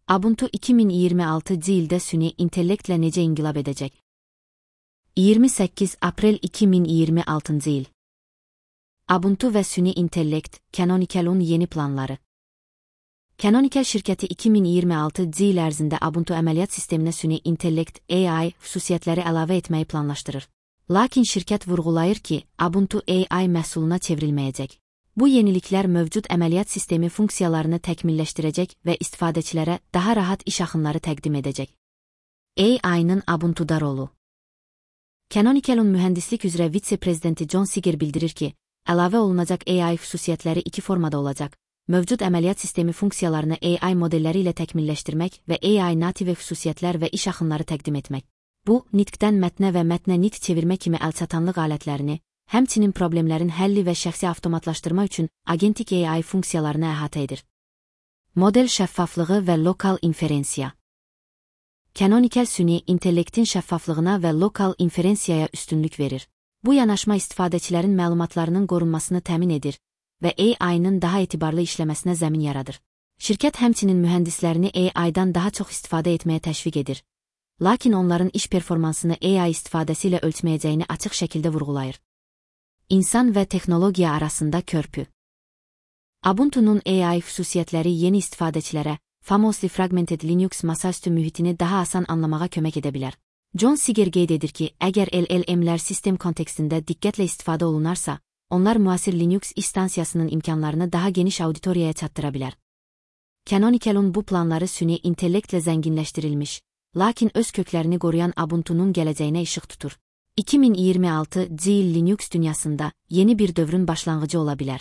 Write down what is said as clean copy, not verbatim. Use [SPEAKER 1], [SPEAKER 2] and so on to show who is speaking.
[SPEAKER 1] Ubuntu 2026 ildə süni intellektlə necə inqilab edəcək? 28 aprel 2026 il. Ubuntu və süni intellekt, Canonical'un yeni planları. Canonical şirkəti 2026 il ərzində Ubuntu əməliyyat sisteminə süni intellekt AI xüsusiyyətləri əlavə etməyi planlaşdırır. Lakin şirkət vurğulayır ki, Ubuntu AI məhsuluna çevrilməyəcək. Bu yeniliklər mövcud əməliyyat sistemi funksiyalarını təkmilləşdirəcək və istifadəçilərə daha rahat iş axınları təqdim edəcək. AI-nın Ubuntu'da rolu. Canonical'un mühəndislik üzrə vitse-prezidenti John Seeger bildirir ki, əlavə olunacaq AI xüsusiyyətləri iki formada olacaq: mövcud əməliyyat sistemi funksiyalarını AI modelləri ilə təkmilləşdirmək və AI native xüsusiyyətlər və iş axınları təqdim etmək. Bu, nitqdən mətnə və mətnə nitq çevirmə kimi əlçatanlıq alətlərini, həmçinin problemlərin həlli və şəxsi avtomatlaşdırma üçün agentik AI funksiyalarını əhatə edir. Model şəffaflığı və lokal inferensiya. Canonical süni intellektin şəffaflığına və lokal inferensiyaya üstünlük verir. Bu yanaşma istifadəçilərin məlumatlarının qorunmasını təmin edir və AI-nın daha etibarlı işləməsinə zəmin yaradır. Şirkət həmçinin mühəndislərini AI-dan daha çox istifadə etməyə təşviq edir. Lakin onların iş performansını AI istifadəsi ilə ölçməyəcəyini açıq şəkildə vurğulayır. İnsan və texnologiya arasında körpü. Ubuntu'nun AI xüsusiyyətləri yeni istifadəçilərə Famously Fragmented Linux masaüstü mühitini daha asan anlamağa kömək edə bilər. John Seeger qeyd edir ki, əgər LLM-lər sistem kontekstində diqqətlə istifadə olunarsa, onlar müasir Linux instansiyasının imkanlarını daha geniş auditoriyaya çatdıra bilər. Canonical'un bu planları süni intellektlə zənginləşdirilmiş, lakin öz köklərini qoruyan Ubuntu'nun gələcəyinə işıq tutur. 2026 il Linux dünyasında yeni bir dövrün başlanğıcı ola bilər.